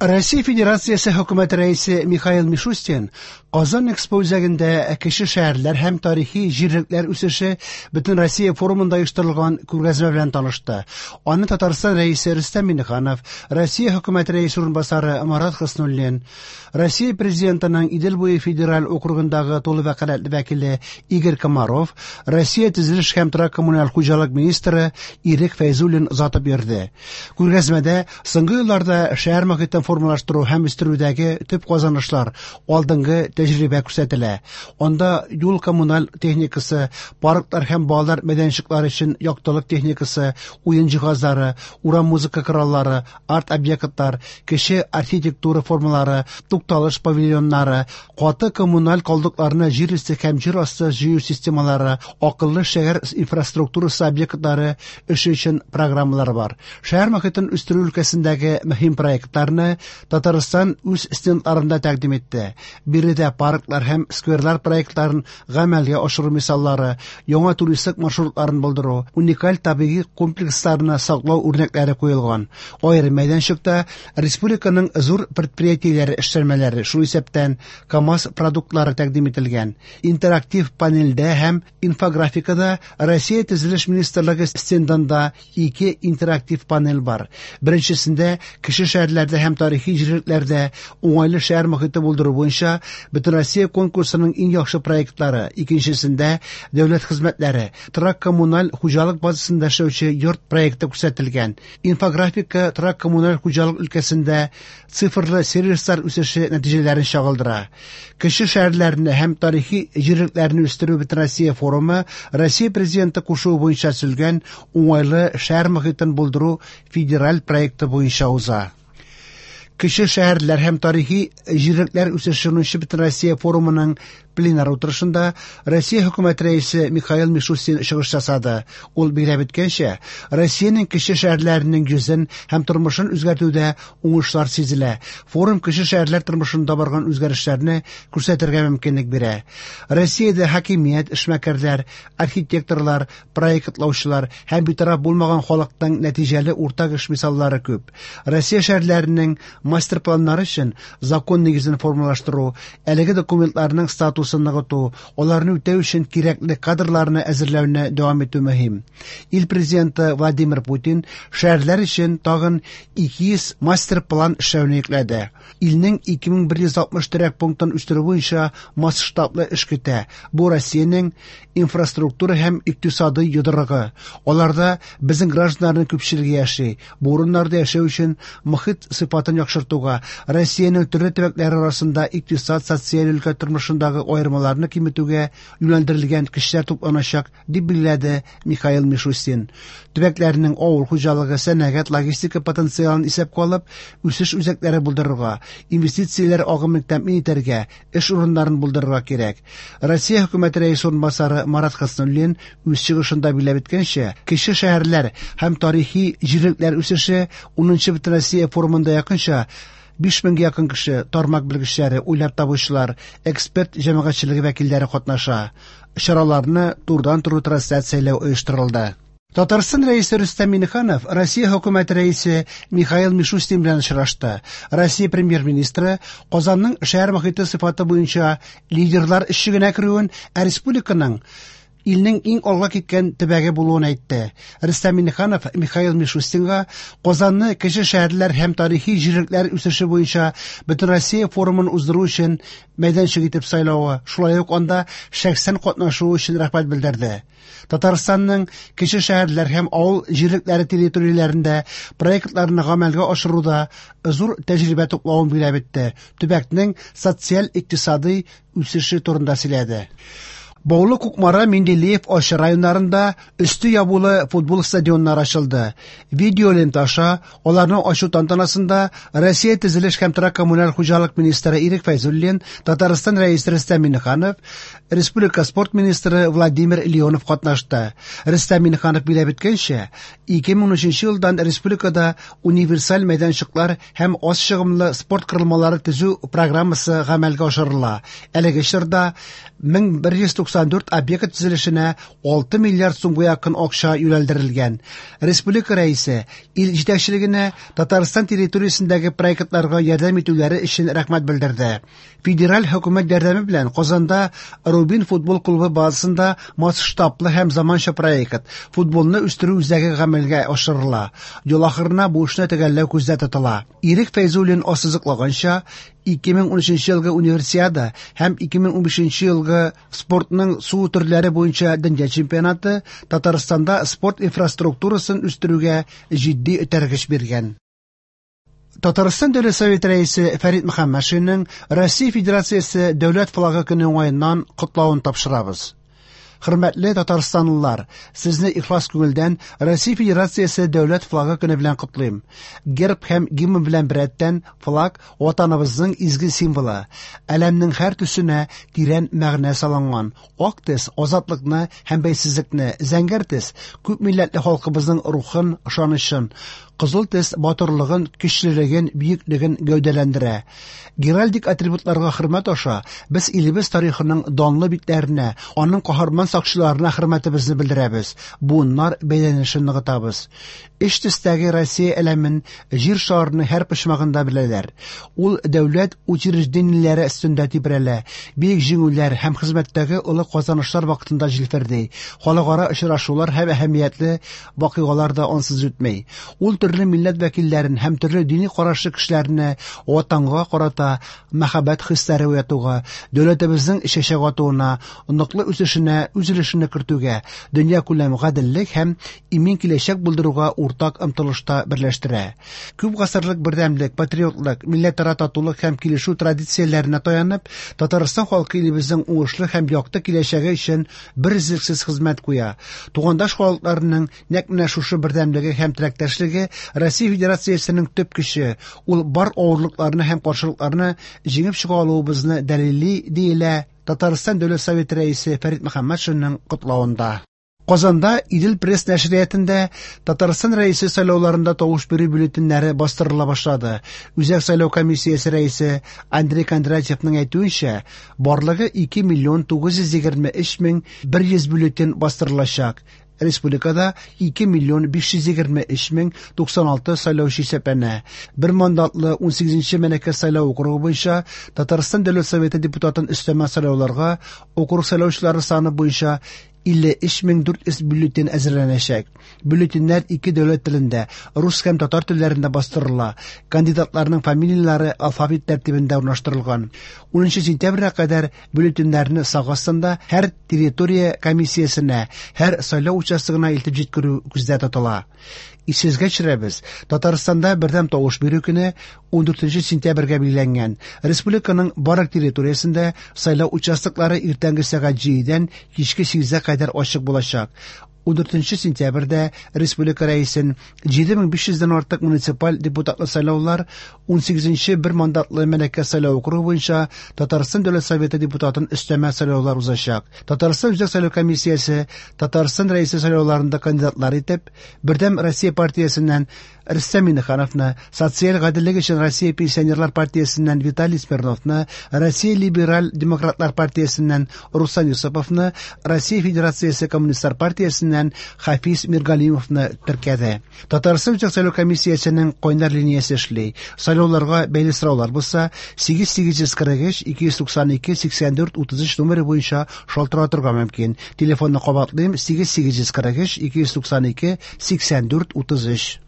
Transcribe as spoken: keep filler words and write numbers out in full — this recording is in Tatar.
Россия Федерациясе Хөкүмәте Рәисе Михаил Мишустин Казан Экспо үзәгендә кече шәһәрләр һәм тарихи җирлекләр үсеше Бөтенроссия форумында оештырылган күргәзмә белән танышты. Аны Татарстан Рәисе Рөстәм Миңнеханов, Россия Хөкүмәте Рәисе урынбасары Марат Хөснуллин, Россия Президентының Идел буе федераль округындагы тулы вәкаләтле вәкиле Игорь Комаров, Россия төзелеш һәм торак коммуналь хуҗалык министры Ирек Фәйзуллин озатып йөрде. Күргәзмәдә соңгы елларда шәһәр мохитен формалаштыру һәм үстерүдәге төп казанышлар, алдынгы тәҗрибә күрсәтелә. Анда юл коммуналь техникасы, парклар һәм балалар мәйданчыклары өчен яктылык техникасы, уен җиһазлары, урам музыка кораллары, арт-объектлар, кече архитектура формалары, тукталыш павильоннары, каты коммуналь калдыкларны җир өсте һәм җир асты җыю системалары, акыллы шәһәр инфраструктурасы объектлары эше өчен программалар бар. Шәһәр мохитен үстерү өлкәсендәге мөһим проектларны Татарстан үз стендларында тәкъдим итте. Биредә парклар һәм скверлар проектларын гамәлгә ашыру мисаллары, яңа туристик маршрутларын булдыру, уникаль табигый комплексларны саклау үрнәкләре куелган. Аерым мәйданчыкта республиканың зур предприятиеләре эшләнмәләре, шул исәптән КАМАЗ продуктлары тәкъдим ителгән. Интерактив панельдә һәм инфографикада Россия Төзелеш министрлыгы стендында ике интерактив панель бар. Беренчесендә кече шәһәрләрдә һәм тарихи җирлекләрдә уңайлы шәһәр мохите булдыру буенча Бөтенроссия конкурсының иң яхшы проектлары, икенчесендә дәүләт хезмәтләре, торак коммуналь хуҗалык базасында эшләүче йорт проекты күрсәтелгән. Инфографика торак коммуналь хуҗалык өлкәсендә цифрлы сервислар үсеше нәтиҗәләрен чагылдыра. Кече шәһәрләрне һәм тарихи җирлекләрне үстерү Бөтенроссия форумы Россия Президенты кушуы буенча төзелгән уңайлы шәһәр мохитен булдыру федераль проекты буенча уза. Кече шәһәрләр һәм тарихи җирлекләр үсеше унынчы Бөтенроссия форумының пленар утырышында Россия Хөкүмәте Рәисе Михаил Мишустин чыгыш ясады. Ул билгеләп үткәнчә, Россиянең кече шәһәрләренең йөзен һәм тормышын үзгәртүдә уңышлар сизелә. Форум кече шәһәрләр тормышында барган үзгәрешләрне күрсәтергә мөмкинлек бирә. Россиядә хакимият, эшмәкәрләр, архитекторлар, проектлаучылар һәм битараф булмаган халыкның нәтиҗәле уртак эш мисаллары күп. Россия шәһәрләренең мастер-планнары өчен закон нигезен формалаштыру, әлеге документларның статусын ныгыту, аларны үтәү өчен кирәкле кадрларны әзерләүне дәвам итү мөһим. Ил президенты Владимир Путин шәһәрләр өчен тагын ике йөз мастер-план эшләүне йөкләде. Илнең ике мең бер йөз алтмыш торак пунктын үстерү буенча масштаблы эш көтә. Бу Россиянең инфраструктура һәм икътисадый йодрыгы. Аларда безнең гражданнарның күпчелеге яши. Бу урыннарда яшәү өчен мохит сыйфатын яхшыртуга, Россиянең төрле төбәкләре арасында икътисад, социаль өлкә тормышындагы аермаларны киметүгә юнәлдерелгән көчләр тупланачак, дип билгеләде Михаил Мишустин. Төбәкләрнең авыл хуҗалыгы, сәнәгать, логистика потенциалын исәпкә алып, үсеш үзәкләре булдырырга, инвестицияләр агымын тәэмин итәргә, эш урыннарын булдырырга кирәк. Россия Хөкүмәте Рәисе урынбасары Марат Хөснуллин үз чыгышында билгеләп үткәнчә, кече шәһәрләр һәм тарихи җирлекләр үсеше унынчы Бөтенроссия форумында якынча биш меңгә якын кеше, тармак белгечләре, уйлап табучылар, эксперт җәмәгатьчелеге вәкилләре катнаша. Чараларны турыдан-туры трансляцияләү оештырылды. Татарстан Рәисе Рөстәм Миңнеханов Россия Хөкүмәте Рәисе Михаил Мишустин белән очрашты. Россия Премьер-министры Казанның шәһәр мохите сыйфаты буенча лидерлар өчлегенә керүен, ә республиканың илнең иң алга киткән төбәге булуын әйтте. Рөстәм Миңнеханов Михаил Мишустинга Казанны кече шәһәрләр һәм тарихи җирлекләр үсеше буенча Бөтенроссия форумын уздыру өчен мәйданчык итеп сайлавы, шулай ук анда шәхсән катнашуы өчен рәхмәт белдерде. Татарстанның кече шәһәрләр һәм авыл җирлекләре территорияләрендә проектларны гамәлгә ашыруда зур тәҗрибә туплавын билгеләп үтте. Төбәкнең социаль-икътисадый үсеше турында сөйләде. Баулы, Кукмара, Менделеев, Арча районнарында өсте ябулы футбол стадионнары ачылды. Видеолента аша аларны ачу тантанасында Россия төзелеш һәм торак коммуналь хуҗалык министры Ирек Фәйзуллин, Татарстан Рәисе Рөстәм Миңнеханов, Республика спорт министры Владимир Леонов катнашты. Рөстәм Миңнеханов билгеләп үткәнчә, ике мең унөченче елдан республикада универсаль мәйданчыклар һәм аз чыгымлы спорт корылмалары төзү программасы гамәлгә ашырыла. Әлеге чорда мең бер йөз туксан туксан дүрт объект төзелешенә алты миллиард сумга якын акча юнәлдерелгән. Республика рәисе ил җитәкчелегенә Татарстан территориясендәге проектларга ярдәм итүләре өчен рәхмәт белдерде. Федераль хөкүмәт ярдәме белән Казанда Рубин футбол клубы базасында масштаблы һәм заманча проект футболны үстерү үзәге гамәлгә ашырыла. Ел ахырына бу эшне төгәлләү күздә тотыла. Ирек Фәйзуллин ассызыклаганча, ике мең унөченче елгы универсиада һәм ике мең унбишенче елгы спортның су төрләре буенча дөнья чемпионаты Татарстанда спорт инфраструктурасын үстерүгә җитди этәргеч биргән. Татарстан Дәүләт Советы рәисе Фәрит Мөхәммәтшинның Россия Федерациясе Дәүләт флагы көне уңаеннан котлавын тапшырабыз. Хөрмәтле татарстанлылар, сезне ихлас күңелдән Россия Федерациясе Дәүләт флагы көне белән котлыйм. Герб һәм гимн белән беррәттән флаг ватаныбызның изге символы. Әләмнең һәр төсенә тирән мәгънә салынган. Ак төс азатлыкны һәм бәйсезлекне, зәңгәр төс күп милләтле халкыбызның рухын, ышанычын, кызыл төс батырлыгын, көчлелеген, бөеклеген гәүдәләндерә. Геральдик атрибутларга хөрмәт аша без илебез тарихының данлы битләренә, аның каһарман сакчыларына хөрмәтебезне белдерәбез, буыннар бәйләнешен ныгытабыз. Өч төстәге Россия әләмен җир шарының һәр почмагында беләләр. Ул дәүләт учреждениеләре өстендә тибрәлә, бөек җиңүләр һәм хезмәттәге олы казанышлар вакытында җилферди. Халыкара очрашулар һәм әһәмиятле вакыйгалар да ансыз үтми. Ул төрле милләт вәкилләрен һәм төрле дини карашлы кешеләрне ватанга карата мәхәббәт хисләре уятуга, дәүләтебезнең чәчәк атуына, ныклы үсешенә үз өлешен кертүгә, дөнья күләм гаделлек һәм имин киләчәк булдыруга уртак омтылышта берләштерә. Күп гасырлык бердәмлек, патриотлык, милләтара татулык һәм килешү традицияләренә таянып, Татарстан халкы илебезнең уңышлы һәм якты киләчәге өчен берөзлексез хезмәт куя. Тугандаш халыкларының нәкъ менә шушы бердәмлеге һәм теләктәшлеге Россия Федерациясенең төп көче, ул бар авырлыкларны һәм каршылыкларны җиңеп чыга алуыбызны дәлилли, диелә Татарстан Дәүләт Советы рәисе Фәрит Мөхәммәтшинның котлавында. Казанда Идел пресс нәшриятында Татарстан рәисе сайлауларында тавыш бирү бюллетеньнәре бастырыла башлады. Үзәк сайлау комиссиясе рәисе Андрей Кондратьевның әйтүенчә, барлыгы ике миллион тугыз йөз егерме өч мең бер йөз бюллетень бастырылачак. Республикада ике миллион биш йөз егерме өч мең туксан алты сайлаучы исәпләнә. Бер мандатлы унсигезенче Мәләкәс сайлау округы буенча Татарстан Дәүләт Советы депутатын өстәмә сайлауларга округ сайлаучылары саны буенча илле өч мең дүрт йөз бюллетень әзерләнәчәк. Бюллетеньнәр ике дәүләт телендә, рус һәм татар телләрендә бастырыла. Кандидатларның фамилияләре алфавит тәртибендә урнаштырылган. Унынчы сентябрьгә кадәр бюллетеньнәрне сак астында һәр территория комиссиясенә, һәр сайлау участогына илтеп җиткерү күздә тотыла. Исегезгә төшерәбез, Татарстанда бердәм тавыш бирү көне ундүртенче сентябрьгә билгеләнгән. Республиканың барлык территориясендә сайлау участоклары иртәнге сәгать җидедән кичке сигезгә кадәр ачык булачак. Ундүртенче сентябрьдә республика рәисен җиде мең биш йөздән артык муниципаль депутатлы сайлаулар, унсигезенче бер мандатлы Мәләкәс сайлау округы буенча Татарстан Дәүләт Советы депутатын өстәмә сайлаулар узачак. Татарстан Үзәк сайлау комиссиясе Татарстан рәисе сайлауларында кандидатлар итеп Бердәм Россия партиясеннән Рөстәм Миңнехановны, Социаль гаделлек өчен Россия пенсионерлар партиясеннән Виталий Смирновны, Россия либераль демократлар партиясеннән Руслан Юсуповны, Россия Федерациясе коммунистлар партиясеннән Хафиз Миргалимовны теркәде. Татарстан Үзәк сайлау комиссиясенең кайнар линиясе эшли. Сайлауларга бәйле сораулар булса, сигез сигез йөз кырык өч, ике йөз туксан ике, сиксән дүрт, утыз өч номеры буенча шалтыратырга мөмкин. Телефонны кабатлыйм: сигез сигез йөз кырык өч, ике йөз туксан ике, сиксән дүрт, утыз өч.